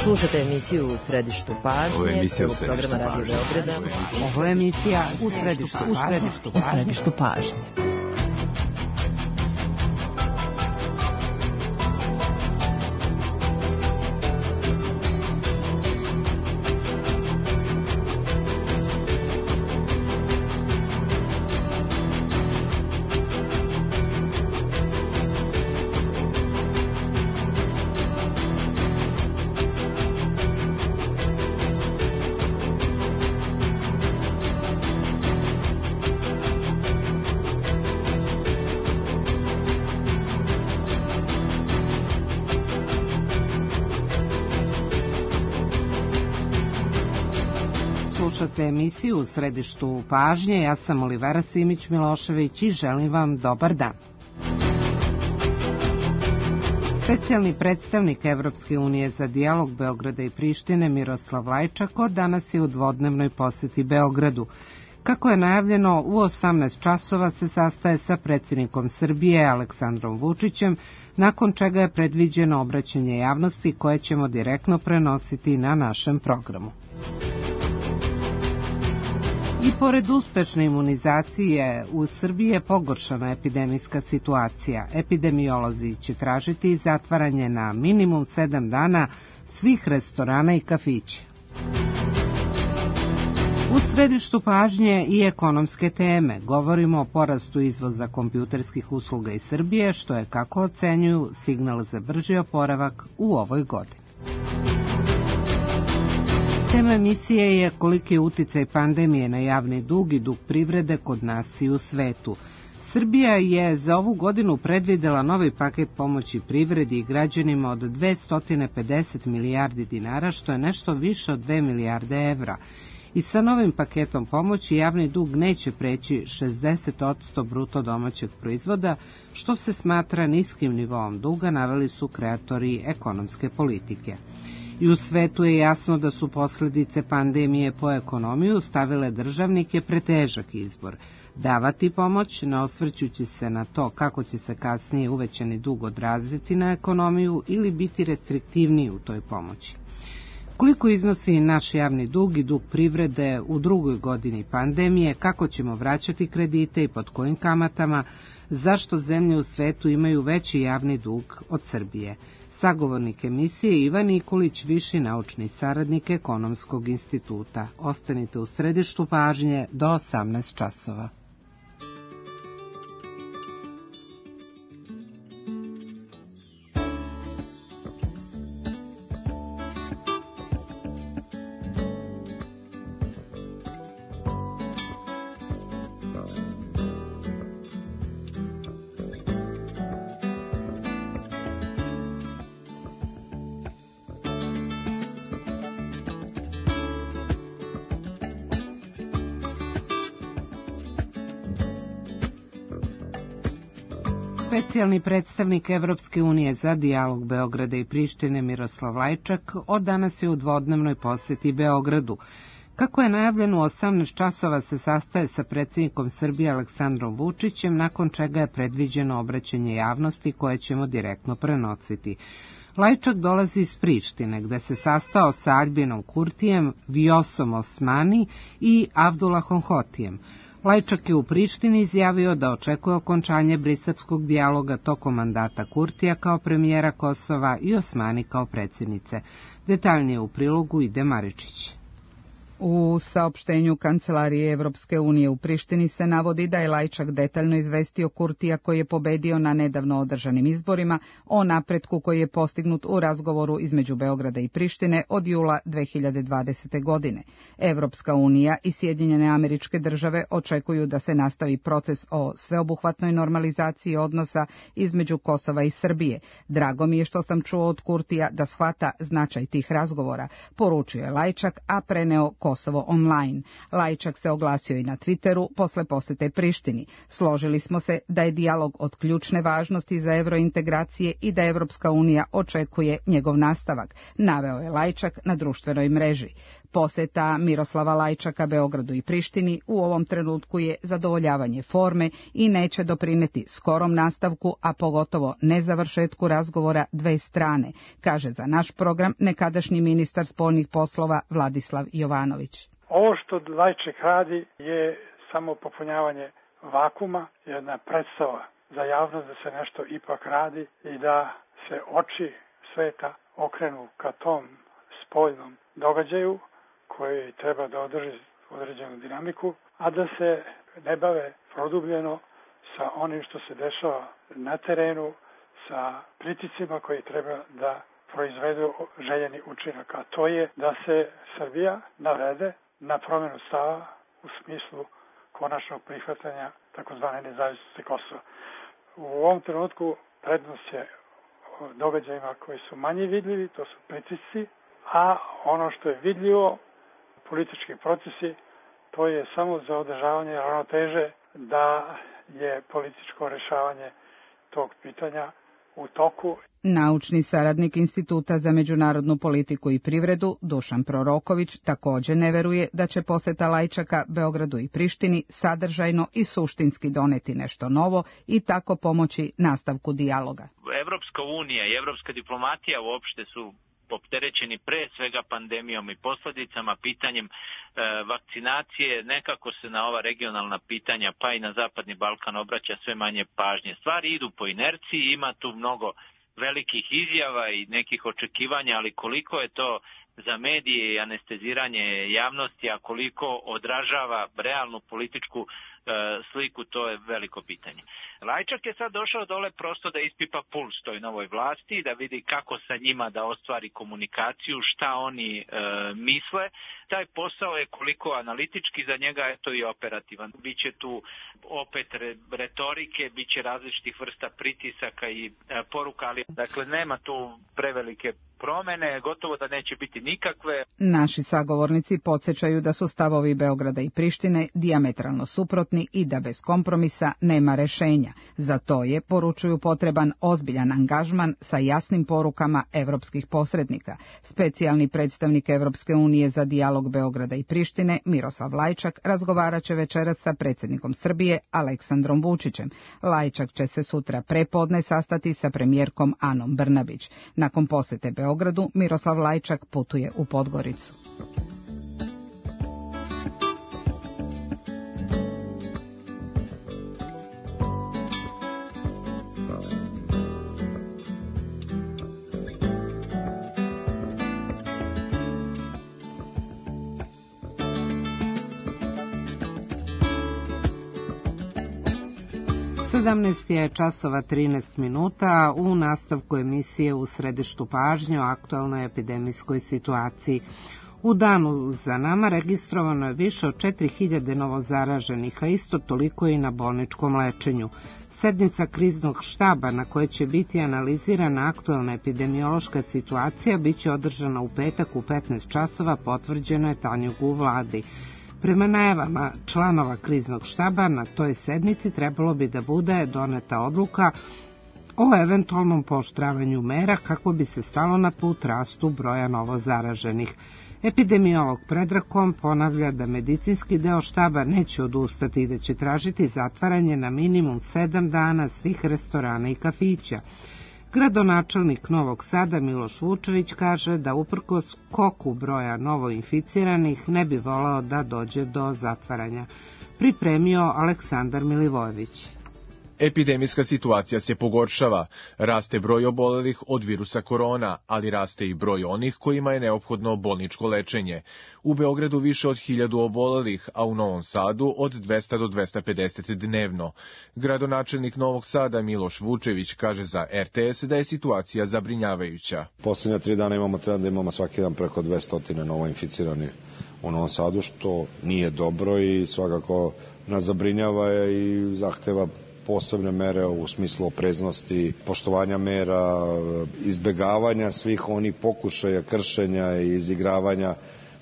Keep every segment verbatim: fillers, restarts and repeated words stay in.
Slušate emisiju U središtu pažnje, Ovo je emisija U prvog središtu programa Radio pažnje. Beograda. Ovo je emisija U središtu U središtu pažnje. U središtu pažnje. Slušate emisiju U središtu pažnje, ja sam Olivera Simić-Milošević i želim vam dobar dan. Specijalni predstavnik Evropske unije za dijalog Beograda i Prištine Miroslav Lajčak od danas je u dvodnevnoj poseti Beogradu. Kako je najavljeno, u osamnaest časova se sastaje sa predsjednikom Srbije Aleksandrom Vučićem, nakon čega je predviđeno obraćanje javnosti koje ćemo direktno prenositi na našem programu. I pored uspešne imunizacije, u Srbiji je pogoršana epidemijska situacija. Epidemiolozi će tražiti zatvaranje na minimum sedam dana svih restorana i kafića. U središtu pažnje i ekonomske teme govorimo o porastu izvoza kompjuterskih usluga iz Srbije, što je, kako ocenjuju, signal za brži oporavak u ovoj godini. Tema emisije je koliki je uticaj pandemije na javni dug i dug privrede kod nas i u svetu. Srbija je za ovu godinu predvidela novi paket pomoći privredi i građanima od dvesta pedeset milijardi dinara, što je nešto više od dve milijarde evra. I sa novim paketom pomoći javni dug neće preći šezdeset posto bruto domaćeg proizvoda, što se smatra niskim nivoom duga, naveli su kreatori ekonomske politike. I u svetu je jasno da su posljedice pandemije po ekonomiju stavile državnike pred težak izbor. Davati pomoć, ne osvrćući se na to kako će se kasnije uvećani dug odraziti na ekonomiju ili biti restriktivniji u toj pomoći. Koliko iznosi naš javni dug i dug privrede u drugoj godini pandemije, kako ćemo vraćati kredite i pod kojim kamatama, zašto zemlje u svetu imaju veći javni dug od Srbije? Sagovornik emisije Ivan Nikolić, viši naučni saradnik Ekonomskog instituta. Ostanite u središtu pažnje do osamnaest časova. Specijalni predstavnik Evropske unije za dijalog Beograda i Prištine Miroslav Lajčak od danas je u dvodnevnoj poseti Beogradu. Kako je najavljeno, u osamnaest časova se sastaje sa predsjednikom Srbije Aleksandrom Vučićem, nakon čega je predviđeno obraćanje javnosti koje ćemo direktno prenositi. Lajčak dolazi iz Prištine, gde se sastao sa Albinom Kurtijem, Vjosom Osmani i Avdulahom Hotijem. Lajčak je u Prištini izjavio da očekuje okončanje briselskog dijaloga tokom mandata Kurtija kao premijera Kosova i Osmani kao predsjednice. Detaljnije u prilogu Ide Maričić. U saopštenju Kancelarije Evropske unije u Prištini se navodi da je Lajčak detaljno izvestio Kurtija, koji je pobedio na nedavno održanim izborima, o napretku koji je postignut u razgovoru između Beograda i Prištine od jula dve hiljade dvadesete. godine. Evropska unija i Sjedinjene Američke Države očekuju da se nastavi proces o sveobuhvatnoj normalizaciji odnosa između Kosova i Srbije. Drago mi je što sam čuo od Kurtija da shvata značaj tih razgovora, poručio je Lajčak, a preneo Kosovo online. Lajčak se oglasio i na Twitteru posle posete Prištini. Složili smo se da je dijalog od ključne važnosti za evrointegracije i da Evropska unija očekuje njegov nastavak, naveo je Lajčak na društvenoj mreži. Poseta Miroslava Lajčaka Beogradu i Prištini u ovom trenutku je zadovoljavanje forme i neće doprineti skorom nastavku, a pogotovo nezavršetku razgovora dve strane, kaže za naš program nekadašnji ministar spoljnih poslova Vladislav Jovanović. Ovo što Lajčak radi je samo popunjavanje vakuma, jedna predstava za javnost da se nešto ipak radi i da se oči sveta okrenu ka tom spoljnom događaju koji treba da održi određenu dinamiku, a da se ne bave produbljeno sa onim što se dešava na terenu, sa pritiscima koji treba da proizvedu željeni učinak, a to je da se Srbija navede na promjenu stava u smislu konačnog prihvatanja takozvane nezavisnosti Kosova. U ovom trenutku prednost je događajima koji su manje vidljivi, to su pritisci, a ono što je vidljivo, politički procesi, to je samo za održavanje ravnoteže da je političko rješavanje tog pitanja u toku. Naučni saradnik Instituta za međunarodnu politiku i privredu Dušan Proroković također ne veruje da će poseta Lajčaka Beogradu i Prištini sadržajno i suštinski doneti nešto novo i tako pomoći nastavku dijaloga. Evropska unija i evropska diplomatija uopšte su opterećeni pre svega pandemijom i posljedicama, pitanjem e, vakcinacije, nekako se na ova regionalna pitanja pa i na Zapadni Balkan obraća sve manje pažnje. Stvari idu po inerciji, ima tu mnogo velikih izjava i nekih očekivanja, ali koliko je to za medije i anesteziranje javnosti, a koliko odražava realnu političku e, sliku, to je veliko pitanje. Lajčak je sad došao dole prosto da ispipa puls toj novoj vlasti, da vidi kako sa njima da ostvari komunikaciju, šta oni e, misle. Taj posao je koliko analitički za njega, je to i operativan. Biće tu opet retorike, biće različitih vrsta pritisaka i e, poruka, ali dakle nema tu prevelike promene, gotovo da neće biti nikakve. Naši sagovornici podsjećaju da su stavovi Beograda i Prištine dijametralno suprotni i da bez kompromisa nema rešenja. Za to je, poručuju, potreban ozbiljan angažman sa jasnim porukama evropskih posrednika. Specijalni predstavnik Evropske unije za dijalog Beograda i Prištine, Miroslav Lajčak, razgovarat će večeras sa predsjednikom Srbije, Aleksandrom Vučićem. Lajčak će se sutra prepodne sastati sa premijerkom Anom Brnabić. Nakon posete Beogradu, Miroslav Lajčak putuje u Podgoricu. sedamnaest je časova trinaest minuta, u nastavku emisije U središtu pažnje o aktualnoj epidemijskoj situaciji. U danu za nama registrovano je više od četiri hiljade novozaraženih, a isto toliko i na bolničkom lečenju. Sednica kriznog štaba na kojoj će biti analizirana aktualna epidemiološka situacija biće održana u petak u petnaest časova, potvrđeno je Tanjugu u vladi. Prema najavama članova kriznog štaba na toj sednici trebalo bi da bude doneta odluka o eventualnom pooštravanju mera kako bi se stalo na put rastu broja novozaraženih. Epidemiolog Predrakom ponavlja da medicinski deo štaba neće odustati i da će tražiti zatvaranje na minimum sedam dana svih restorana i kafića. Gradonačelnik Novog Sada Miloš Vučević kaže da uprkos skoku broja novoinficiranih ne bi voleo da dođe do zatvaranja. Pripremio Aleksandar Milivojević. Epidemijska situacija se pogoršava, raste broj obolelih od virusa korona, ali raste i broj onih kojima je neophodno bolničko lečenje. U Beogradu više od hiljadu obolelih, a u Novom Sadu od dvesta do dvesta pedeset dnevno. Gradonačelnik Novog Sada Miloš Vučević kaže za er te es da je situacija zabrinjavajuća. Posljednja tri dana imamo trend da imamo svaki dan preko dvesta novoinficiranih u Novom Sadu, što nije dobro i svakako nas zabrinjava i zahteva posebne mere u smislu opreznosti, poštovanja mera, izbjegavanja svih onih pokušaja kršenja i izigravanja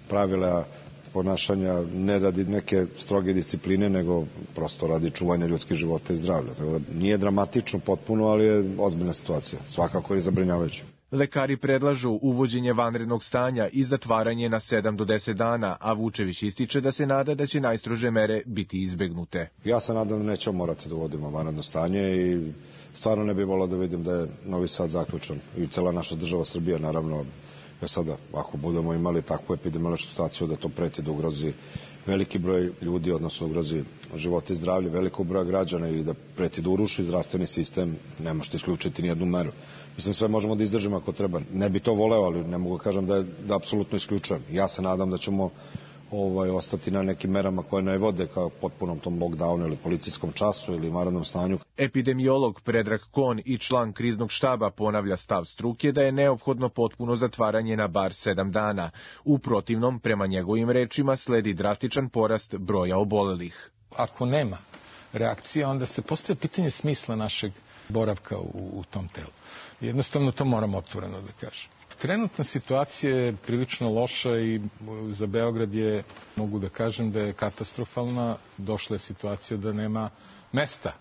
pravila ponašanja ne radi neke stroge discipline, nego prosto radi čuvanja ljudskih života i zdravlja. Tako da nije dramatično potpuno, ali je ozbiljna situacija. Svakako je zabrinjavajuća. Lekari predlažu uvođenje vanrednog stanja i zatvaranje na sedam do deset dana, a Vučević ističe da se nada da će najstrože mere biti izbegnute. Ja se nadam da nećemo morati da uvodimo vanredno stanje i stvarno ne bih volao da vidim da je Novi Sad zaključan i cela naša država Srbija, naravno. Ja sada, ako budemo imali takvu epidemiološku situaciju da to preti da ugrozi veliki broj ljudi, odnosno ugrozi živote i zdravlje velikog broja građana ili da preti da uruši zdravstveni sistem, ne možete isključiti ni jednu meru. Mislim, sve možemo da izdržimo ako treba. Ne bi to voleo, ali ne mogu da kažem da, je, da apsolutno isključujem. Ja se nadam da ćemo ovaj, ostati na nekim merama koje ne vode kao potpunom tom lockdownu ili policijskom času ili vanrednom stanju. Epidemiolog Predrag Kon i član kriznog štaba ponavlja stav struke da je neophodno potpuno zatvaranje na bar sedam dana. U protivnom, prema njegovim rečima, sledi drastičan porast broja obolelih. Ako nema reakcija, onda se postavlja pitanje smisla našeg boravka u, u tom telu. Jednostavno to moramo otvoreno da kažem. Trenutna situacija je prilično loša i za Beograd je, mogu da kažem, da je katastrofalna. Došla je situacija da nema mesta.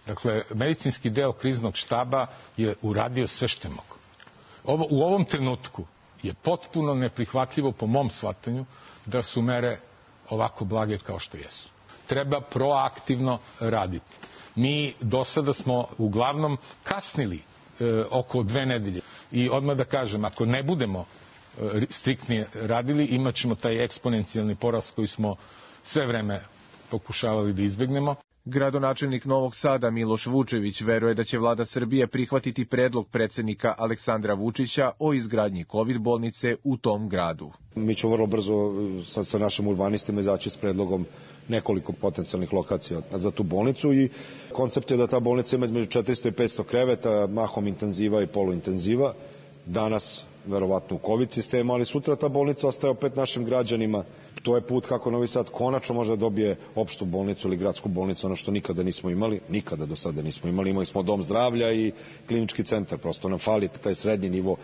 Dakle, medicinski deo kriznog štaba je uradio sve što je mogo. Ovo, u ovom trenutku je potpuno neprihvatljivo po mom shvatanju da su mere ovako blage kao što jesu. Treba proaktivno raditi. Mi do sada smo uglavnom kasnili e, oko dve nedelje. I odmah da kažem, ako ne budemo e, striktnije radili, imat ćemo taj eksponencijalni porast koji smo sve vreme pokušavali da izbegnemo. Gradonačelnik Novog Sada Miloš Vučević veruje da će vlada Srbije prihvatiti predlog predsednika Aleksandra Vučića o izgradnji kovid bolnice u tom gradu. Mi ćemo vrlo brzo sa, sa našim urbanistima izaći s predlogom nekoliko potencijalnih lokacija za tu bolnicu i koncept je da ta bolnica ima između četiristo i petsto kreveta, mahom intenziva i poluintenziva. Danas verovatno u COVID sistemu, ali sutra ta bolnica ostaje opet našim građanima. To je put kako Novi Sad konačno može da dobije opštu bolnicu ili gradsku bolnicu, ono što nikada nismo imali, nikada do sada nismo imali. Imali smo dom zdravlja i klinički centar, prosto nam fali taj srednji nivo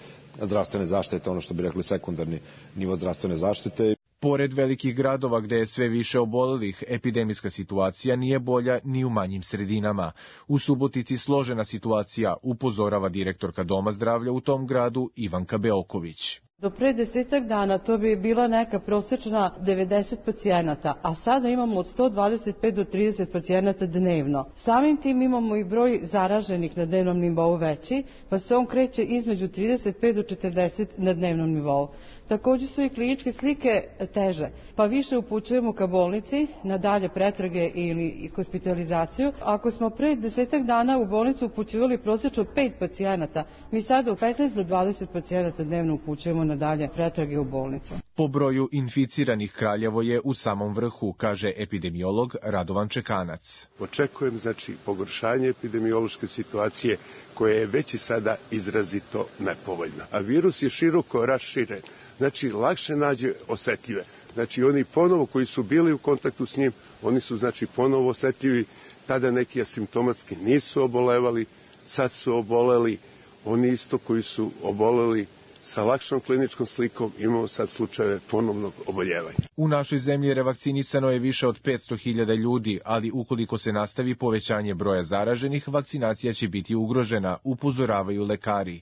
zdravstvene zaštite, ono što bi rekli sekundarni nivo zdravstvene zaštite. Pored velikih gradova gde je sve više obolelih, epidemijska situacija nije bolja ni u manjim sredinama. U Subotici složena situacija, upozorava direktorka Doma zdravlja u tom gradu Ivanka Beoković. Do pre desetak dana to bi bila neka prosečna devedeset pacijenata, a sada imamo od sto dvadeset pet do trideset pacijenata dnevno. Samim tim imamo i broj zaraženih na dnevnom nivou veći, pa se on kreće između trideset pet do četrdeset na dnevnom nivou. Takođe su i kliničke slike teže, pa više upućujemo ka bolnici na dalje pretrage ili hospitalizaciju. Ako smo pre desetak dana u bolnicu upućivali prosječno pet pacijenata, mi sada u petnaest do dvadeset pacijenata dnevno upućujemo na dalje pretrage u bolnicu. Po broju inficiranih Kraljevo je u samom vrhu, kaže epidemiolog Radovan Čekanac. Očekujem znači pogoršanje epidemiološke situacije koja je već i sada izrazito nepovoljna. A virus je široko raširen. Znači, lakše nađe osetljive. Znači, oni ponovo koji su bili u kontaktu s njim, oni su, znači, ponovo osetljivi. Tada neki asimptomatski nisu obolevali, sad su oboleli. Oni isto koji su oboleli sa lakšom kliničkom slikom, imamo sad slučajeve ponovnog oboljevanja. U našoj zemlji revakcinisano je više od petsto hiljada ljudi, ali ukoliko se nastavi povećanje broja zaraženih, vakcinacija će biti ugrožena, upozoravaju lekari.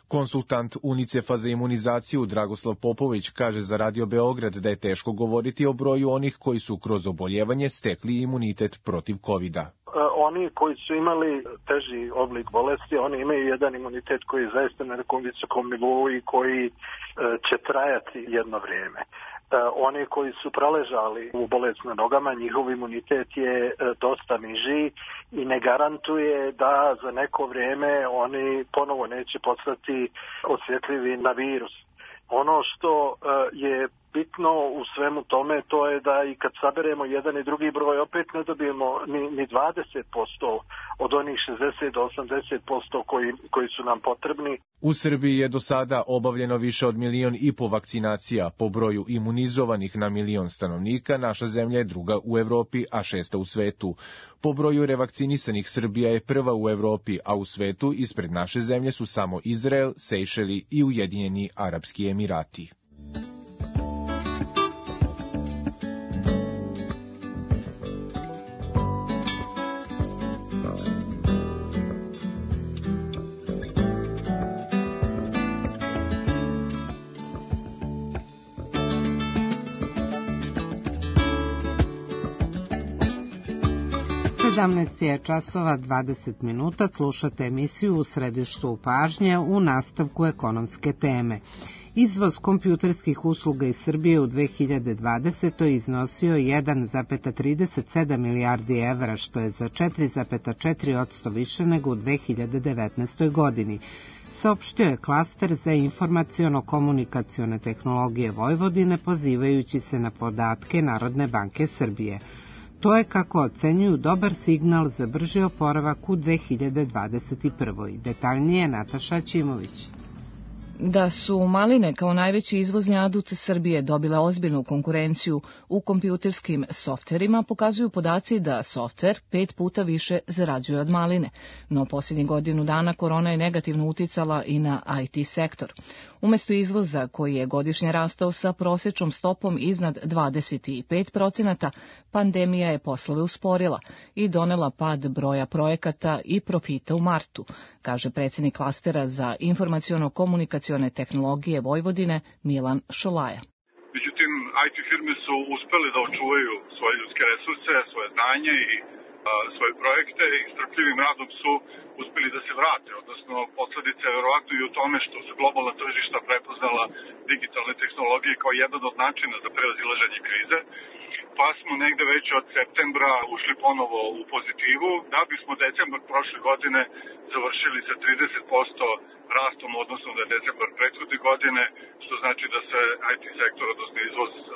Konsultant UNICEF-a za imunizaciju Dragoslav Popović kaže za Radio Beograd da je teško govoriti o broju onih koji su kroz oboljevanje stekli imunitet protiv kovida. Oni koji su imali teži oblik bolesti, oni imaju jedan imunitet koji je zaista na nekom visokom nivou i koji će trajati jedno vrijeme. Oni koji su praležali u bolest na nogama, njihov imunitet je dosta niži i ne garantuje da za neko vrijeme oni ponovo neće postati osjetljivi na virus. Ono što je bitno u svemu tome, to je da i kad saberemo jedan i drugi broj, opet ne dobijemo ni, ni dvadeset posto od onih šezdeset do osamdeset posto koji, koji su nam potrebni. U Srbiji je do sada obavljeno više od milion i po vakcinacija. Po broju imunizovanih na milion stanovnika, naša zemlja je druga u Evropi, a šesta u svetu. Po broju revakcinisanih Srbija je prva u Evropi, a u svetu ispred naše zemlje su samo Izrael, Sejšeli i Ujedinjeni Arapski Emirati. sedamnaest je časova dvadeset minuta, slušate emisiju U središtu pažnje u nastavku ekonomske teme. Izvoz kompjuterskih usluga iz Srbije u dve hiljade dvadesetoj iznosio jedan zarez trideset sedam milijardi evra, što je za četiri zarez četiri posto više nego u dve hiljade devetnaestoj godini. Saopštio je klaster za informaciono-komunikacione tehnologije Vojvodine, pozivajući se na podatke Narodne banke Srbije. To je, kako ocenjuju, dobar signal za brži oporavak u dve hiljade dvadeset prvoj. Detaljnije Nataša Ćimović. Da su maline kao najveći izvozni adut Srbije dobile ozbiljnu konkurenciju u kompjuterskim softverima, pokazuju podaci da softver pet puta više zarađuje od maline, no posljednjih godinu dana korona je negativno uticala i na I T sektor. Umesto izvoza, koji je godišnje rastao sa prosječnom stopom iznad dvadeset pet procenata, pandemija je poslove usporila i donela pad broja projekata i profita u martu, kaže predsjednik klastera za informaciono-komunikacione tehnologije Vojvodine Milan Šolaja. Međutim, I T firme su uspeli da očuvaju svoje ljudske resurse, svoje znanje i a, svoje projekte i strpljivim radom su uspeli da se vrate, odnosno posledica je verovatno i u tome što su globalna tržišta prepoznala digitalne tehnologije kao jedan od načina za prevazilaženje krize, pa smo negde već od septembra ušli ponovo u pozitivu, da bismo decembar prošle godine završili sa trideset posto rastom odnosno da je decembar prethodne godine, što znači da se I T sektor, odnosno izvoz uh,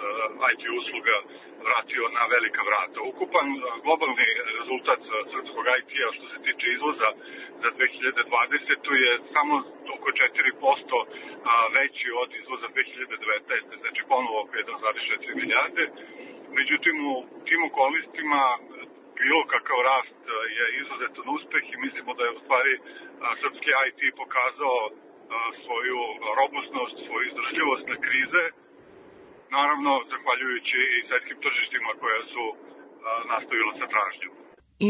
I T usluga vratio na velika vrata. Ukupan uh, globalni rezultat uh, srpskog I T-a što se tiče izvoza za dve hiljade dvadesetu je samo oko četiri posto uh, veći od izvoza dve hiljade devetnaeste. Znači ponovo oko jedan zarez četiri milijarde. Međutim, u tim okolnostima bilo kakav rast je izuzetan uspeh i mislimo da je u stvari srpski I T pokazao svoju robustnost, svoju izdržljivost na krize, naravno zahvaljujući i svetskim tržištima koja su nastavila sa tražnjom.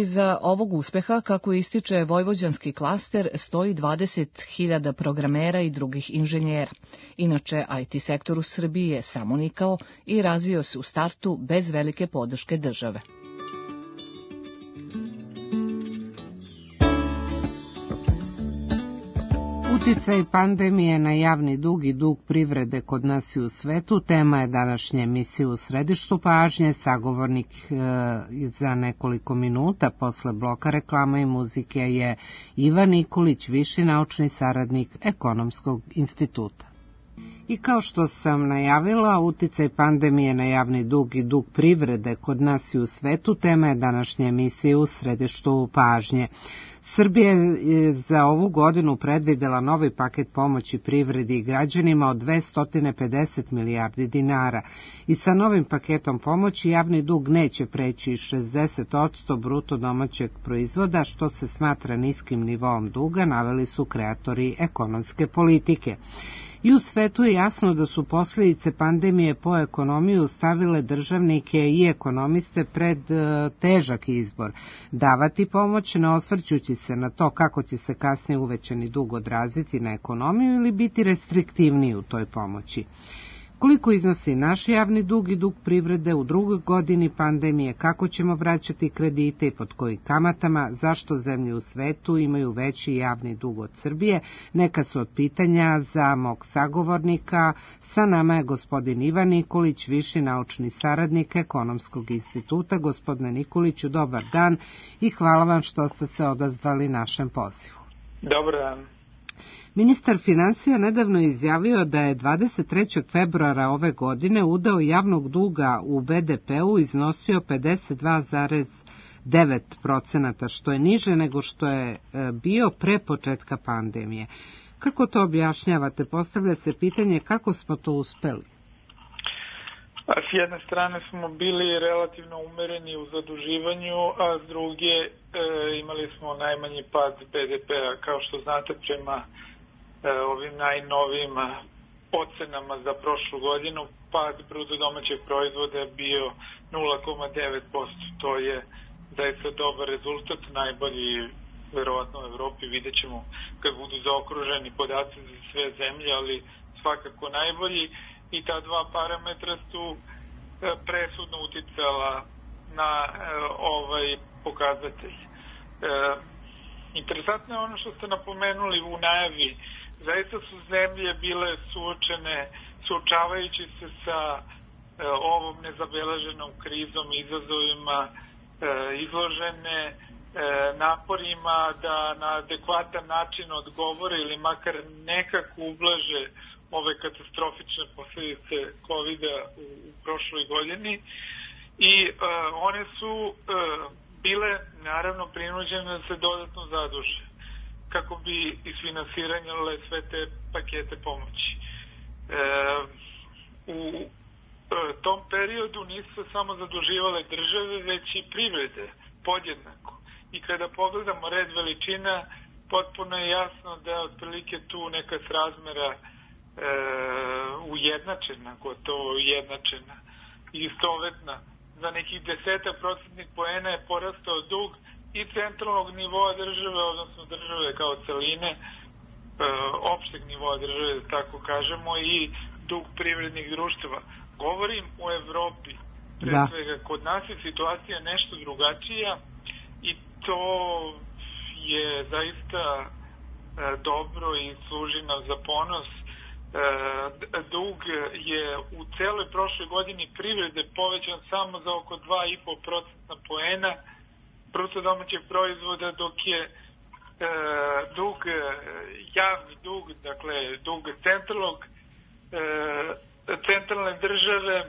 Iza ovog uspeha, kako ističe vojvođanski klaster, stoji dvadeset hiljada programera i drugih inženjera. Inače, I T sektor u Srbiji je samonikao i razvio se u startu bez velike podrške države. Uticaj pandemije na javni dug i dug privrede kod nas i u svetu tema je današnje emisije U središtu pažnje. Sagovornik e, za nekoliko minuta posle bloka reklama i muzike je Ivan Nikolić, viši naučni saradnik Ekonomskog instituta. I kao što sam najavila, uticaj pandemije na javni dug i dug privrede kod nas i u svetu tema je današnje emisije U središtu pažnje. Srbija je za ovu godinu predvidela novi paket pomoći privredi i građanima od dvesta pedeset milijardi dinara i sa novim paketom pomoći javni dug neće preći šezdeset posto bruto domaćeg proizvoda, što se smatra niskim nivoom duga, naveli su kreatori ekonomske politike. I u svetu je jasno da su posljedice pandemije po ekonomiju stavile državnike i ekonomiste pred težak izbor. Davati pomoć ne osvrćući se na to kako će se kasnije uvećani dug odraziti na ekonomiju ili biti restriktivniji u toj pomoći. Koliko iznosi naš javni dug i dug privrede u drugoj godini pandemije, kako ćemo vraćati kredite i pod kojim kamatama, zašto zemlje u svetu imaju veći javni dug od Srbije, neka su od pitanja za mog sagovornika. Sa nama je gospodin Ivan Nikolić, viši naučni saradnik Ekonomskog instituta. Gospodine Nikoliću, dobar dan i hvala vam što ste se odazvali našem pozivu. Dobar dan. Ministar financija nedavno izjavio da je dvadeset trećeg februara ove godine udeo javnog duga u B D P-u iznosio pedeset dva zarez devet procenata, što je niže nego što je bio pre početka pandemije. Kako to objašnjavate? Postavlja se pitanje kako smo to uspeli? S jedne strane smo bili relativno umereni u zaduživanju, a s druge e, imali smo najmanji pad B D P-a. Kao što znate, prema ovim najnovijim ocenama za prošlu godinu pad bruto domaćeg proizvoda je bio nula zarez devet posto. To je zaista dobar rezultat, najbolji verovatno u Evropi, vidjet ćemo kad budu zaokruženi podaci za sve zemlje, ali svakako najbolji, i ta dva parametra su presudno uticala na ovaj pokazatelj. E, interesantno je ono što ste napomenuli u najavi. Zaista su zemlje bile suočene, suočavajući se sa e, ovom nezabeleženom krizom, izazovima, e, izložene e, naporima da na adekvatan način odgovore ili makar nekako ublaže ove katastrofične posljedice kovida u, u prošloj godini. I e, one su e, bile naravno prinuđene da se dodatno zaduže kako bi isfinansirale sve te pakete pomoći. E, u e, tom periodu nisu se samo zaduživale države, već i privrede podjednako. I kada pogledamo red veličina, potpuno je jasno da je otprilike tu neka srazmera e, ujednačena, gotovo ujednačena i istovetna. Za nekih desetak procentnih poena je porastao dug i centralnog nivoa države, odnosno države kao celine, e, opšteg nivoa države, da tako kažemo, i dug privrednih društava. Govorim o Evropi. Pre da. svega, kod nas je situacija nešto drugačija i to je zaista e, dobro i služi nam za ponos. E, dug je u celoj prošloj godini privrede povećan samo za oko dva i po procentna poena bruto domaćeg proizvoda, dok je e, dug, javni dug, dakle dug centralnog, e, centralne države e,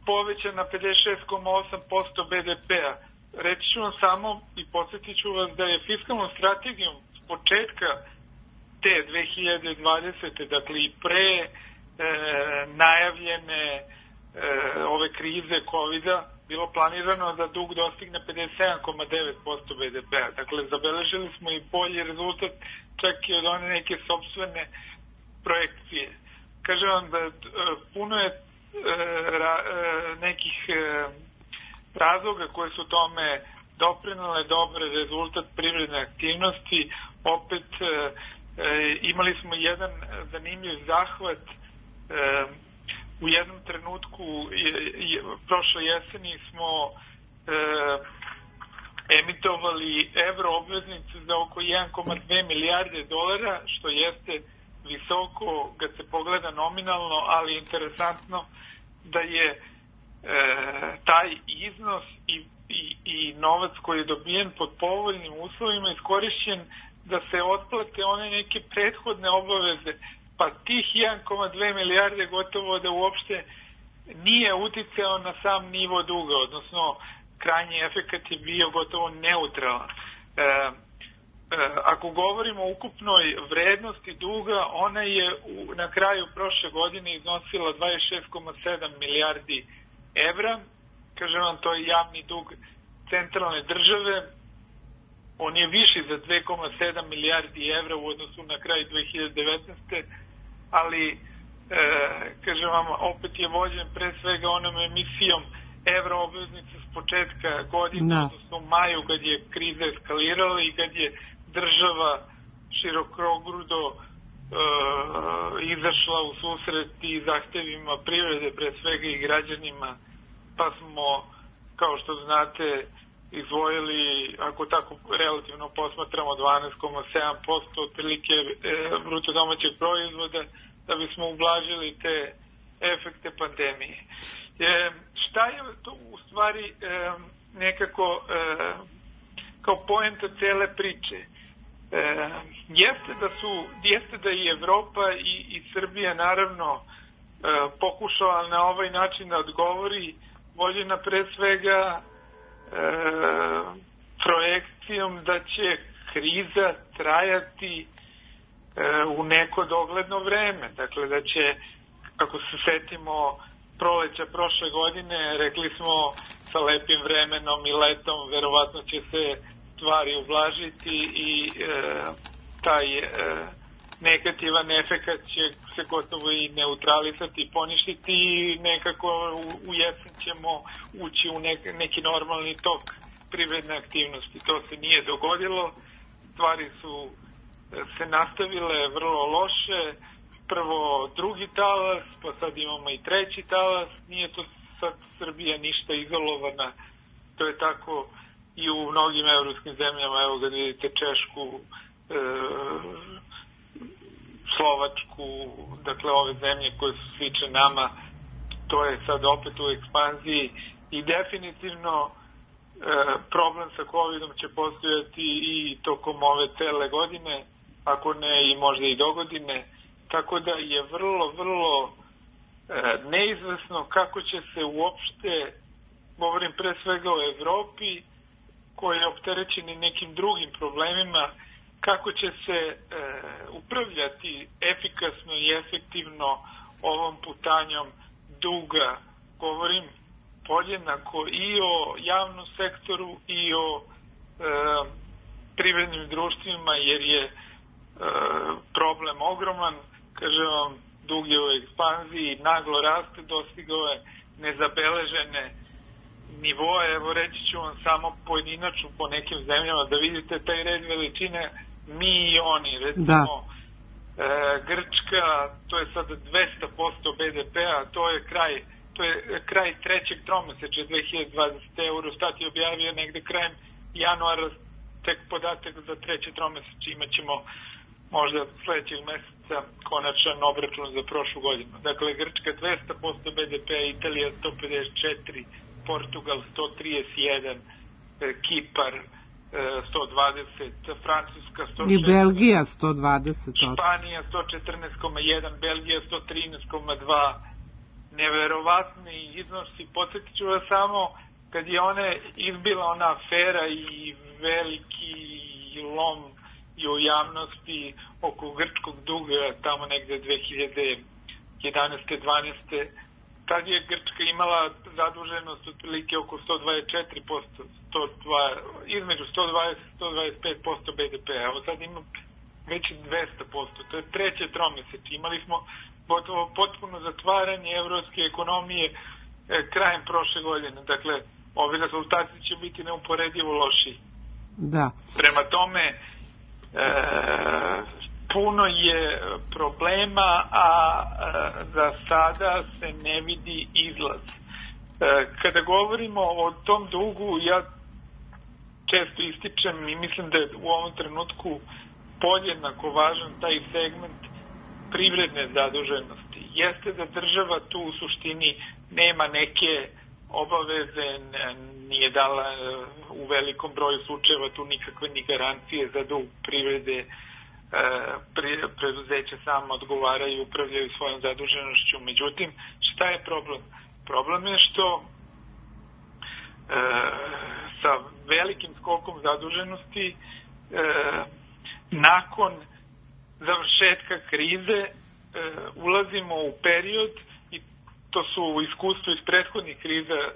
povećan na pedeset šest zarez osam posto be de pea. Reći ću vam samo i podsjetit ću vas da je fiskalnom strategijom s početka te dve hiljade dvadesete. dakle i pre e, najavljene e, ove krize kovida bilo planirano da dug dostigne pedeset sedam zarez devet posto be de pea. Dakle, zabeležili smo i bolji rezultat čak i od one neke sopstvene projekcije. Kažem vam da e, puno je e, ra, e, nekih e, razloga koje su tome doprinale dobar rezultat privredne aktivnosti. Opet e, e, imali smo jedan zanimljiv zahvat. E, u jednom trenutku je, je, prošle jeseni smo e, emitovali evro obveznice za oko jedan zarez dve milijarde dolara, što jeste visoko kad se pogleda nominalno, ali interesantno da je e, taj iznos i, i, i novac koji je dobijen pod povoljnim uslovima iskorišćen da se otplate one neke prethodne obaveze, pa tih jedan zarez dve milijarde gotovo da uopšte nije uticao na sam nivo duga, odnosno krajnji efekat je bio gotovo neutralan. E, e, ako govorimo o ukupnoj vrednosti duga, ona je u, na kraju prošle godine iznosila dvadeset šest zarez sedam milijardi evra. Kažem vam, to je javni dug centralne države. On je viši za dve zarez sedam milijardi evra u odnosu na kraj dve hiljade devetnaeste. ali e, kažem vam, opet je vođen pre svega onom emisijom evro obveznice s početka godine, no. odnosno u maju kad je kriza eskalirala i kad je država širokogrudo e, izašla u susret i zahtevima privrede, pre svega i građanima, pa smo, kao što znate, izdvojili, ako tako relativno posmatramo, dvanaest zarez sedam posto otprilike e, bruto domaćeg proizvoda, da bismo ublažili te efekte pandemije. E, šta je to u stvari e, nekako e, kao poenta cele priče? E, jeste da su, jeste da i Evropa i, i Srbija naravno e, pokušala na ovaj način da odgovori, vođena pre svega E, projekcijom da će kriza trajati e, u neko dogledno vreme. Dakle, da će, ako se setimo proleća prošle godine, rekli smo sa lepim vremenom i letom verovatno će se stvari ublažiti i e, taj e, negativan efekat će se gotovo i neutralisati i poništiti i nekako u, u jesen ćemo ući u nek, neki normalni tok privredne aktivnosti. To se nije dogodilo, stvari su se nastavile vrlo loše, prvo drugi talas, pa sad imamo i treći talas, nije to sad Srbija ništa izolovana To je tako i u mnogim evropskim zemljama, evo ga vidite Češku, e, Slovačku, dakle ove zemlje koje su slične nama, to je sad opet u ekspanziji i definitivno e, problem sa covidom će postojati i tokom ove cele godine, ako ne i možda i do godine, tako da je vrlo, vrlo e, neizvesno kako će se uopšte, govorim pre svega o Evropi, koji je opterećeni nekim drugim problemima, kako će se e, upravljati efikasno i efektivno ovom putanjom duga. Govorim podjednako i o javnom sektoru i o e, privrednim društvima, jer je e, problem ogroman. Kažem vam, dug je u ekspanziji, naglo raste, dostigao je nezabeležene nivoe. Evo reći ću vam samo pojedinačno po nekim zemljama da vidite taj red veličine, mi i oni, recimo e, Grčka, to je sada dvesta posto be de pe-a, to je kraj to je kraj trećeg tromesečja dve hiljade dvadesete. Eurostat je objavio negde krajem januara tek podatak za treće tromesečje, imat ćemo možda sledećeg meseca konačan obračun za prošlu godinu. Dakle, Grčka dvesta posto be de pe-a, Italija sto pedeset četiri, Portugal sto trideset jedan, Kipar sto dvadeset, Francuska sto šest, i Belgija sto dvadeset, Španija sto četrnaest zarez jedan, Belgija sto trinaest zarez dva. Neverovatni iznosi. Podsjetit ću vas samo, kad je one izbila ona afera i veliki lom i u javnosti oko grčkog duga tamo negde dve hiljade jedanaeste dvanaeste. Tad je Grčka imala zaduženost otprilike oko sto dvadeset četiri posto, sto dva, između sto dvadeset i sto dvadeset pet posto be de pe-a. Evo sad ima već dvesta posto, to je treće tromesečje. Imali smo gotovo potpuno zatvaranje evropske ekonomije e, krajem prošle godine. Dakle, ovi rezultati će biti neuporedivo loši. Da. Prema tome, e, puno je problema, a e, za sada se ne vidi izlaz. E, kada govorimo o tom dugu, ja često ističem i mislim da je u ovom trenutku podjednako važan taj segment privredne zaduženosti. Jeste da država tu u suštini nema neke obaveze, nije dala u velikom broju slučajeva tu nikakve ni garancije za dug privrede, preduzeća samo odgovaraju i upravljaju svojom zaduženošću. Međutim, šta je problem? Problem je što sa velikim skokom zaduženosti nakon završetka krize e, ulazimo u period, i to su u iskustvu iz prethodnih kriza e,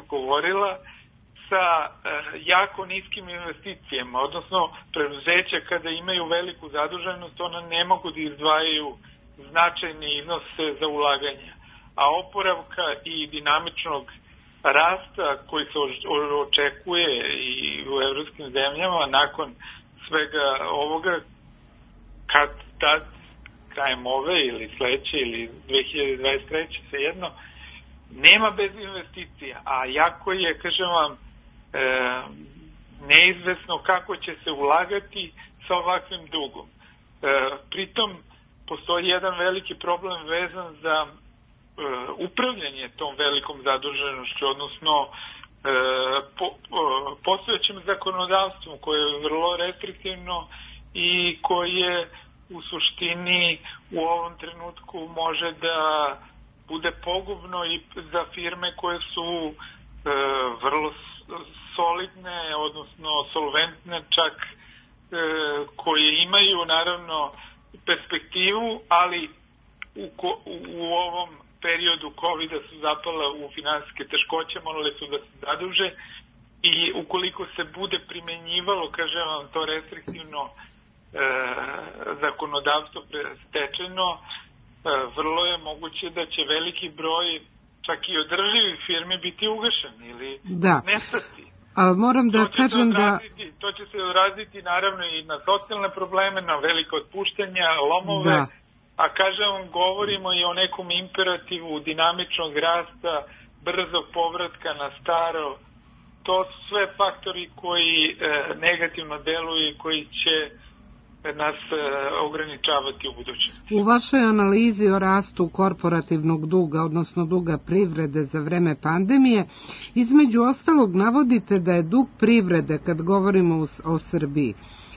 govorila, sa e, jako niskim investicijama, odnosno preduzeća kada imaju veliku zaduženost, ona ne mogu da izdvajaju značajne iznose za ulaganja. A oporavka i dinamičnog rasta koji se očekuje i u evropskim zemljama nakon svega ovoga, kad tad, krajem ove ili sledeće ili dve hiljade dvadeset treće, svejedno, nema bez investicija, a jako je, kažem vam, e, neizvesno kako će se ulagati sa ovakvim dugom. E, pritom, postoji jedan veliki problem vezan za e, upravljanje tom velikom zaduženošću, odnosno e, po, e, postojećim zakonodavstvom koje je vrlo restriktivno i koje u suštini u ovom trenutku može da bude pogubno i za firme koje su e, vrlo solidne, odnosno solventne, čak e, koje imaju naravno perspektivu, ali u, ko, u ovom periodu covida su zapala u finansijske teškoće, morali su da se zaduže i ukoliko se bude primenjivalo, kažem vam, to restriktivno E, zakonodavstvo stečeno, e, vrlo je moguće da će veliki broj čak i održivih firmi biti ugašen ili da. nestati. A moram da to kažem da... To će se odraziti naravno i na socijalne probleme, na velike otpuštanja, lomove, da. A kažem vam, govorimo i o nekom imperativu dinamičnog rasta, brzog povratka na staro, to su sve faktori koji negativno deluju i koji će nas ograničavati u budućnosti. U vašoj analizi o rastu korporativnog duga, odnosno duga privrede za vreme pandemije, između ostalog navodite da je dug privrede, kad govorimo o Srbiji,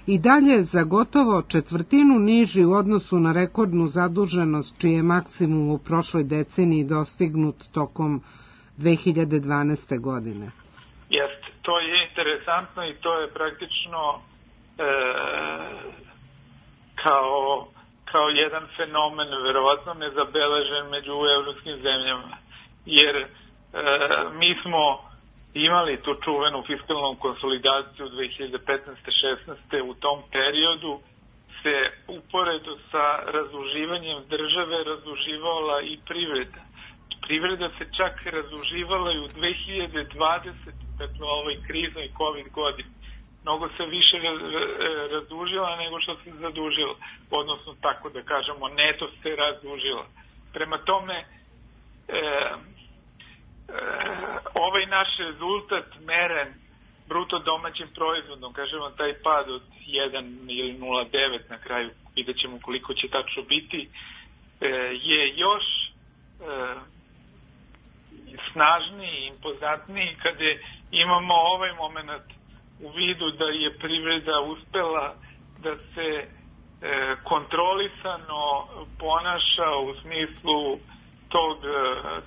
i dalje za gotovo četvrtinu niži u odnosu na rekordnu zaduženost, čiji je maksimum u prošloj deceniji dostignut tokom dve hiljade dvanaeste. godine. Jeste, to je interesantno i to je praktično e, kao, kao jedan fenomen, verovatno nezabeležen među evropskim zemljama, jer e, mi smo imali tu čuvenu fiskalnu konsolidaciju dve hiljade petnaeste šesnaeste. U tom periodu se uporedo sa razduživanjem države razduživala i privreda. Privreda se čak razduživala i u dve hiljade dvadesete. dakle u ovoj kriznoj COVID godini. Mnogo se više razdužila nego što se zadužila, odnosno tako da kažemo neto se razdužila. Prema tome, e, e, ovaj naš rezultat meren bruto domaćim proizvodom, kažemo taj pad od jedan ili nula zarez devet na kraju, vidjet ćemo koliko će tačno biti, e, je još e, snažniji, impozantniji kada imamo ovaj moment u vidu da je privreda uspela da se e, kontrolisano ponaša u smislu tog e,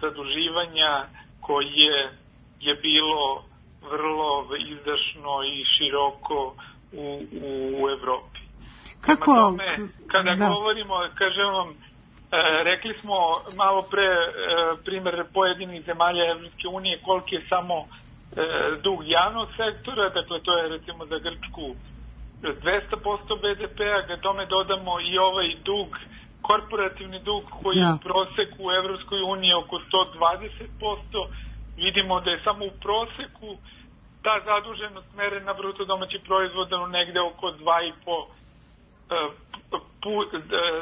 zaduživanja koje je bilo vrlo izdašno i široko u, u Evropi. Kako? Tome, kada da. govorimo, kažem vam, e, rekli smo malo pre e, primjer pojedinih zemalja Evropske unije koliki je samo e, dug javnog sektora, dakle to je recimo za Grčku dvesta posto be de pe-a, kad tome dodamo i ovaj dug, korporativni dug koji ja. u proseku u Evropskoj uniji oko sto dvadeset posto, vidimo da je samo u proseku ta zaduženost merena bruto domaći proizvoda negde oko dva i po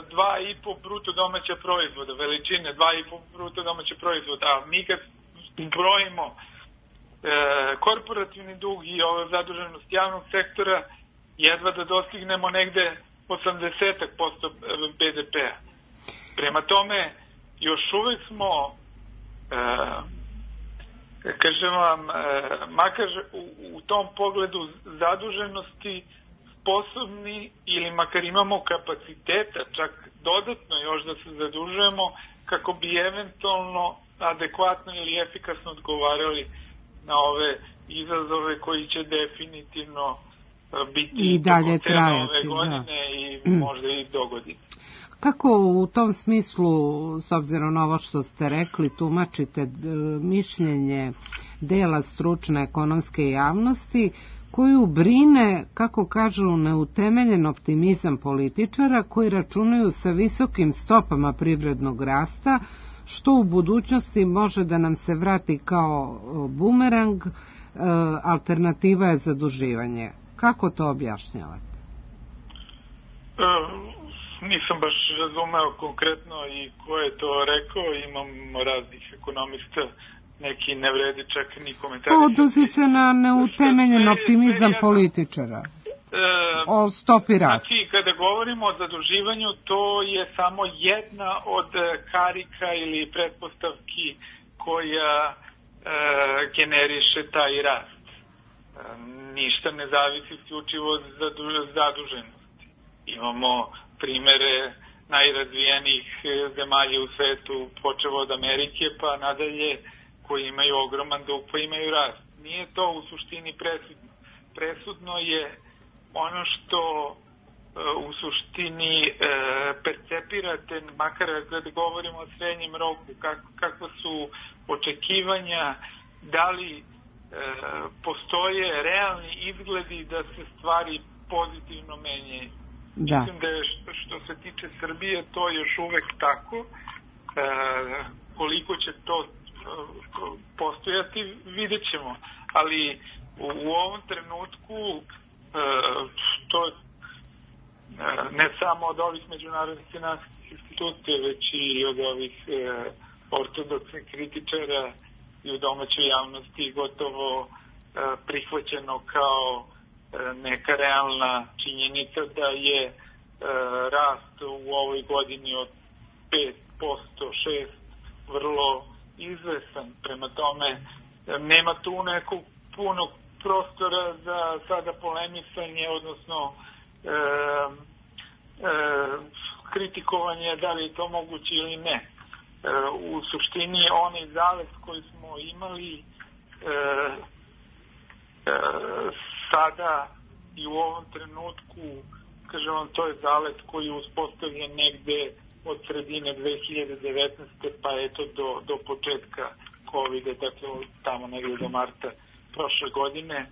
dva i po bruto domaća proizvoda, veličine dva i po bruto domaća proizvoda, a mi kad brojimo e, korporativni dug i ovo zaduženost javnog sektora, jedva da dostignemo negde osamdeset posto be de pe-a. Prema tome, još uvek smo e, kažem vam, e, makar u, u tom pogledu zaduženosti sposobni ili makar imamo kapaciteta čak dodatno još da se zadužujemo kako bi eventualno adekvatno ili efikasno odgovarali na ove izazove koji će definitivno biti i dalje trajati ove godine da. i možda i do godine. Kako u tom smislu, s obzirom na ovo što ste rekli, tumačite mišljenje dela stručne ekonomske javnosti koju brine, kako kažu, neutemeljen optimizam političara koji računaju sa visokim stopama privrednog rasta, što u budućnosti može da nam se vrati kao bumerang, alternativa je zaduživanje. Kako to objašnjavate? E, nisam baš razumeo konkretno i ko je to rekao, imam raznih ekonomista, neki ne vredi čak ni komentari. Odnosi se na neutemeljen optimizam političara o stopi rasta. Znači, kada govorimo o zaduživanju, to je samo jedna od karika ili pretpostavki koja e, generiše taj rast. E, ništa ne zavisi isključivo od zaduženosti. Imamo primere najrazvijenijih zemalja u svetu, počevo od Amerike pa nadalje, koji imaju ogroman dug, pa imaju rast. Nije to u suštini presudno. Presudno je ono što e, u suštini e, percepirate, makar kada govorimo o srednjem roku, kako, kako su očekivanja, da li e, postoje realni izgledi da se stvari pozitivno menjaju. Da. Mislim da je što, što se tiče Srbije to još uvek tako. E, koliko će to postojati, vidjet ćemo. Ali u, u ovom trenutku e, to ne samo od ovih međunarodnih finansijskih institucija, već i od ovih e, ortodoksnih kritičara i u domaćoj javnosti gotovo prihvaćeno kao neka realna činjenica da je rast u ovoj godini od pet posto, šest posto vrlo izvestan. Prema tome, nema tu nekog punog prostora za sada polemisanje, odnosno e, e, kritikovanje da li je to moguće ili ne. E, u suštini onaj zalet koji smo imali e, e, sada i u ovom trenutku, kažem vam, to je zalet koji je uspostavljen negde od sredine dve hiljade devetnaeste pa eto do, do početka kovida, dakle tamo negde do marta prošle godine. E,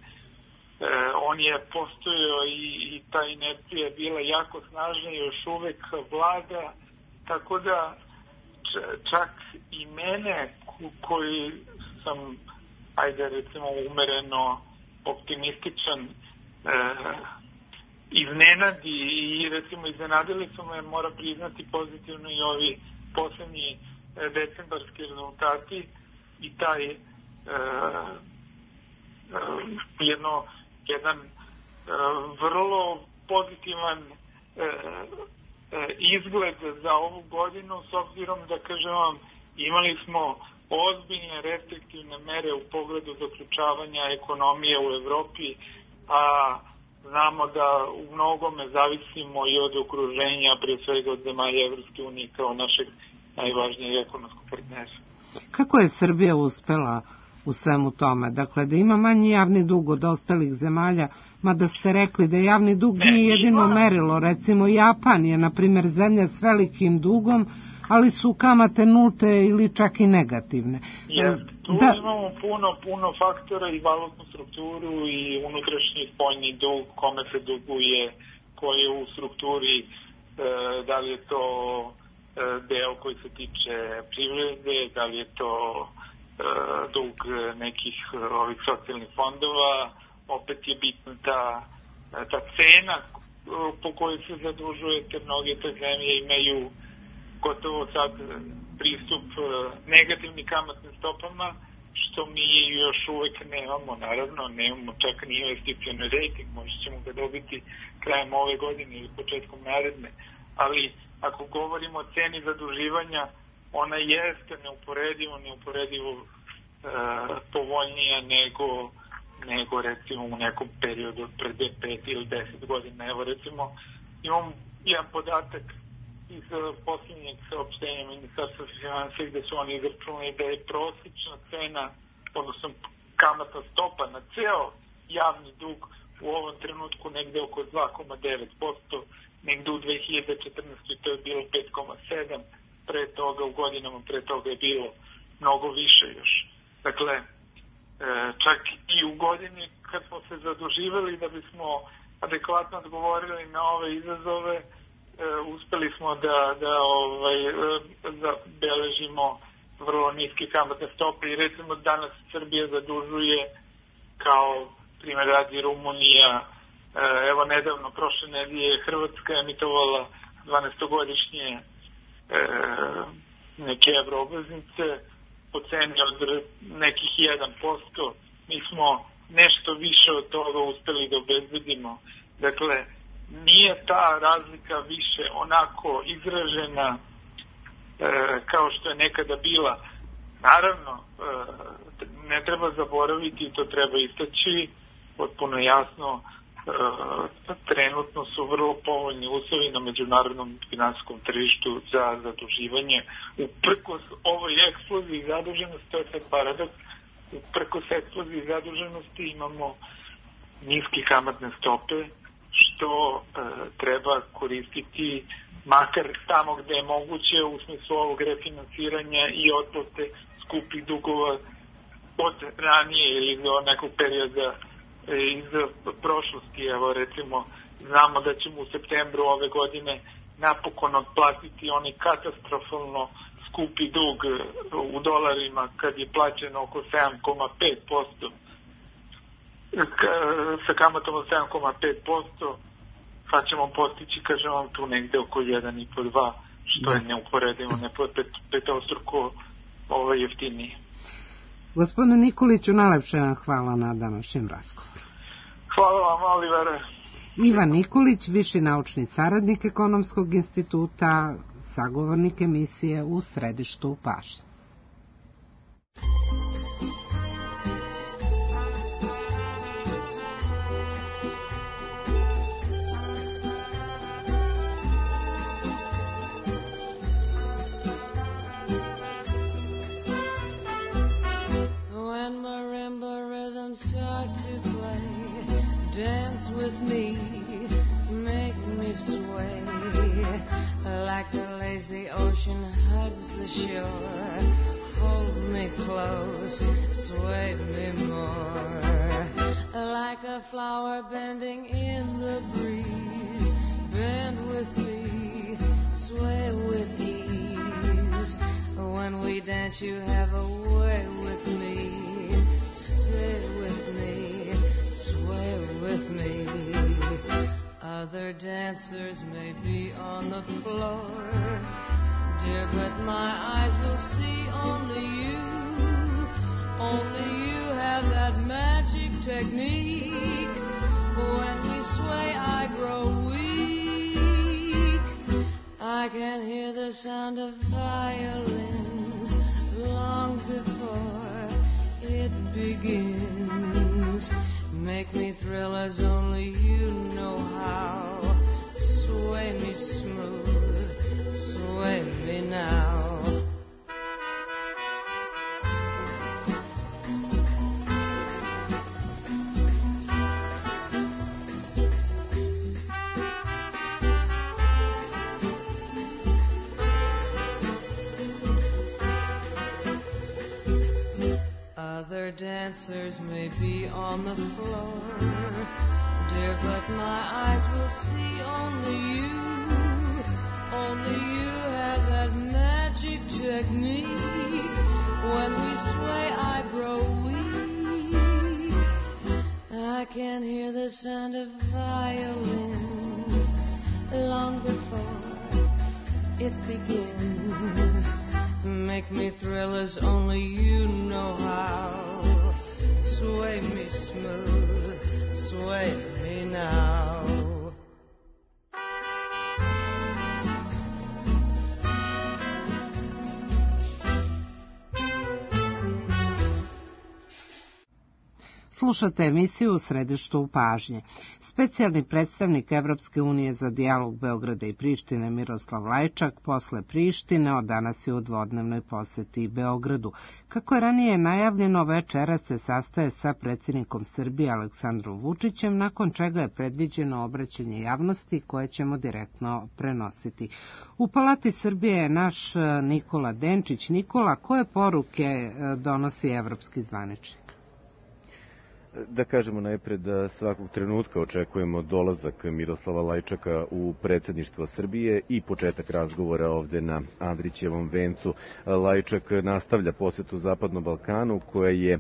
on je postojao i, i ta inercija je bila jako snažna i još uvek vlada, tako da čak i mene koji sam, ajde recimo, umereno optimističan, e, iznenadi i recimo iznenadili su me, moram priznati, pozitivno i ovi poslednji e, decembarski rezultati i taj e, e, jedno, jedan e, vrlo pozitivan e, e, izgled za ovu godinu, s obzirom da, kažem vam, imali smo ozbiljne restriktivne mere u pogledu zaključavanja ekonomije u Evropi, a znamo da u mnogome zavisimo i od okruženja, pre svega od zemalja Evropske unije kao našeg najvažnijeg ekonomskog partnera. Kako je Srbija uspela u svemu tome? Dakle, da ima manji javni dug od ostalih zemalja, mada ste rekli da javni dug ne, nije jedino ima... merilo. Recimo, Japan je, na primjer, zemlja s velikim dugom, ali su kamate nulte ili čak i negativne. Jeste, tu da... imamo puno, puno faktora i valutnu strukturu i unutrašnji spoljni dug, kome se duguje, koji je u strukturi, e, da li je to e, deo koji se tiče privrede, da li je to e, dug nekih ovih socijalnih fondova, opet je bitna ta, ta cena po kojoj se zadužujete. Mnoge te zemlje imaju gotovo sad pristup negativnim kamatnim stopama, što mi još uvek nemamo, naravno, nemamo čak ni investicioni rating, možda ćemo ga dobiti krajem ove godine ili početkom naredne, ali ako govorimo o ceni zaduživanja, ona jeste neuporedivo, neuporedivo e, povoljnija nego, nego recimo u nekom periodu pred pet ili deset godina. Evo recimo, imam jedan podatak iz posljednjeg saopštenja Ministarstva finansija gde su oni izračunali da je prosječna cena, odnosno kamatna stopa na ceo javni dug u ovom trenutku negde oko dva zarez devet posto, negde u dve hiljade četrnaestoj to je bilo pet zarez sedam posto, pre toga u godinama pre toga je bilo mnogo više još. Dakle, čak i u godini kad smo se zaduživali da bismo adekvatno odgovorili na ove izazove, uspeli smo da, da ovaj, zabeležimo vrlo niske kamatne stope i recimo danas Srbija zadužuje kao primjer radi Rumunija. Evo nedavno, prošle nedelje, Hrvatska je emitovala dvanaestogodišnje e, neke evroobveznice po ceni od nekih jedan posto. Mi smo nešto više od toga uspeli da obezbedimo. Dakle, nije ta razlika više onako izražena e, kao što je nekada bila. Naravno, e, ne treba zaboraviti i to treba istaći potpuno jasno, e, trenutno su vrlo povoljni uslovi na međunarodnom finansijskom tržištu za zaduživanje. Uprkos ovoj eksploziji zaduženosti, to je sad paradoks, uprkos eksploziji zaduženosti imamo niske kamatne stope, što e, treba koristiti makar tamo gde je moguće u smislu ovog refinansiranja i otplate skupih dugova od ranije ili do nekog perioda e, iz prošlosti. Evo recimo, znamo da ćemo u septembru ove godine napokon otplatiti oni katastrofalno skupi dug u dolarima kad je plaćeno oko sedam zarez pet posto. Sa kamatom od sedam zarez pet posto sad ćemo postići, kažem vam, tu negde oko jedan zarez pet do dva, što je neuporedivo, ne pet, petostruko ovo jeftinije. Gospodine Nikoliću, najlepše vam hvala na današnjem razgovoru. Hvala vam, Olivere. Ivan Nikolić, viši naučni saradnik Ekonomskog instituta, sagovornik emisije U središtu pažnje. Start to play, dance with me, make me sway, like the lazy ocean hugs the shore, hold me close, sway me more, like a flower bending in the breeze, bend with me, sway with ease, when we dance you have a way with me. Stay with me, sway with me. Other dancers may be on the floor, dear, but my eyes will see only you. Only you have that magic technique. When we sway, I grow weak. I can hear the sound of violins long before it begins. Make me thrill as only you know how. Sway me smooth, sway me now. Other dancers may be on the floor, dear, but my eyes will see only you. Only you have that magic technique. When we sway, I grow weak. I can hear the sound of violins long before it begins. Make me thrill as only you know how. Sway me smooth, sway me now. Slušate emisiju U središtu pažnje. Specijalni predstavnik Evropske unije za dijalog Beograda i Prištine Miroslav Lajčak posle Prištine od danas je u dvodnevnoj poseti Beogradu. Kako je ranije najavljeno, večeras se sastaje sa predsjednikom Srbije Aleksandrom Vučićem, nakon čega je predviđeno obraćanje javnosti koje ćemo direktno prenositi. U Palati Srbije je naš Nikola Denčić. Nikola, koje poruke donosi evropski zvaničnik? Da kažemo najpre da svakog trenutka očekujemo dolazak Miroslava Lajčaka u predsjedništvo Srbije i početak razgovora ovde na Andrićevom vencu. Lajčak nastavlja posjetu Zapadnom Balkanu koja je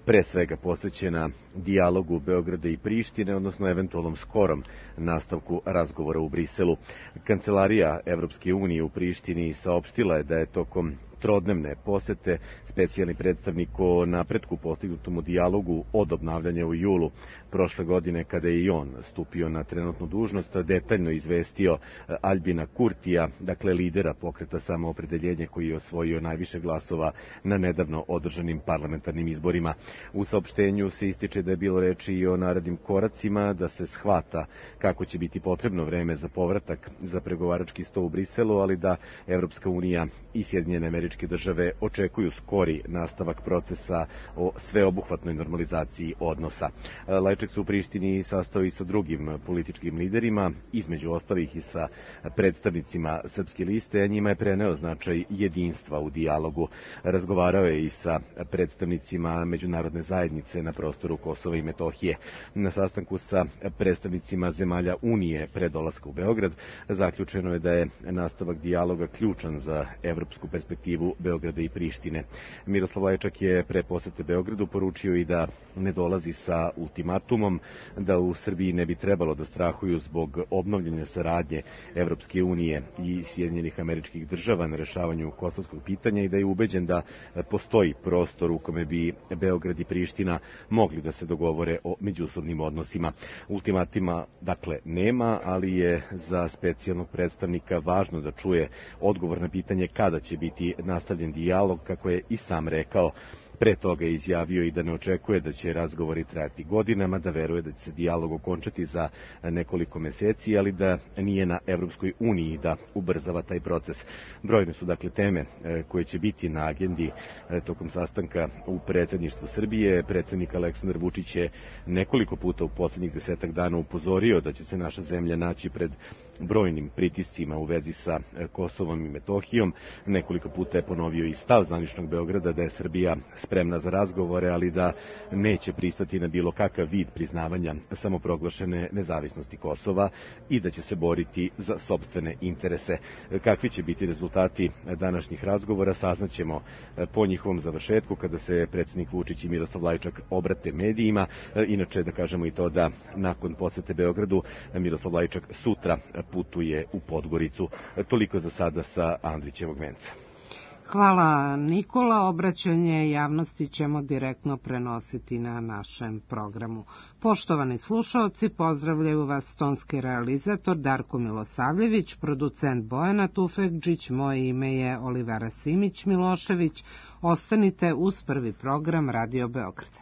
pre svega posvećena dijalogu Beograda i Prištine, odnosno eventualnom skorom nastavku razgovora u Briselu. Kancelarija Evropske unije u Prištini saopštila je da je tokom trodnevne posete specijalni predstavnik o napretku postignutom u dijalogu od obnavljanja u julu prošle godine, kada je i on stupio na trenutnu dužnost, detaljno izvestio Albina Kurtija, dakle lidera pokreta Samoopredeljenje koji je osvojio najviše glasova na nedavno održanim parlamentarnim izborima. U saopštenju se ističe da je bilo reči i o narednim koracima, da se shvata kako će biti potrebno vreme za povratak za pregovarački sto u Briselu, ali da Evropska unija i Sjedinjene Američke Države očekuju skori nastavak procesa o sveobuhvatnoj normalizaciji odnosa. Lajčak se u Prištini sastao i sa drugim političkim liderima, između ostalih i sa predstavnicima Srpske liste, a njima je preneo značaj jedinstva u dijalogu. Razgovarao je i sa predstavnicima međunarodne zajednice na prostoru Kosova i Metohije. Na sastanku sa predstavnicima zemalja Unije pre dolaska u Beograd zaključeno je da je nastavak dijaloga ključan za evropsku perspektivu inicijativu Beograda i Prištine. Miroslav Lajčak je pre posete Beogradu poručio i da ne dolazi sa ultimatumom, da u Srbiji ne bi trebalo da strahuju zbog obnovljene saradnje Evropske unije i Sjedinjenih Američkih Država na rešavanju kosovskog pitanja i da je ubeđen da postoji prostor u kome bi Beograd i Priština mogli da se dogovore o međusobnim odnosima. Ultimatima, dakle, nema, ali je za specijalnog predstavnika važno da čuje odgovor na pitanje kada će biti nastavljen dijalog, kako je i sam rekao. Pre toga je izjavio i da ne očekuje da će razgovori trajati godinama, da veruje da će se dijalog okončati za nekoliko meseci, ali da nije na Evropskoj uniji da ubrzava taj proces. Brojne su dakle teme koje će biti na agendi tokom sastanka u predsjedništvu Srbije. Predsjednik Aleksandar Vučić je nekoliko puta u poslednjih desetak dana upozorio da će se naša zemlja naći pred brojnim pritiscima u vezi sa Kosovom i Metohijom. Nekoliko puta je ponovio i stav zvaničnog Beograda da je Srbija spremna za razgovore, ali da neće pristati na bilo kakav vid priznavanja samoproglašene nezavisnosti Kosova i da će se boriti za sopstvene interese. Kakvi će biti rezultati današnjih razgovora saznaćemo po njihovom završetku kada se predsjednik Vučić i Miroslav Lajčak obrate medijima. Inače da kažemo i to da nakon posete Beogradu Miroslav Lajčak sutra putuje u Podgoricu. Toliko za sada sa Andrićevog venca. Hvala Nikola, obraćanje javnosti ćemo direktno prenositi na našem programu. Poštovani slušalci, pozdravljaju vas tonski realizator Darko Milosavljević, producent Bojana Tufekđić, moje ime je Olivera Simić Milošević. Ostanite uz prvi program Radio Beograda.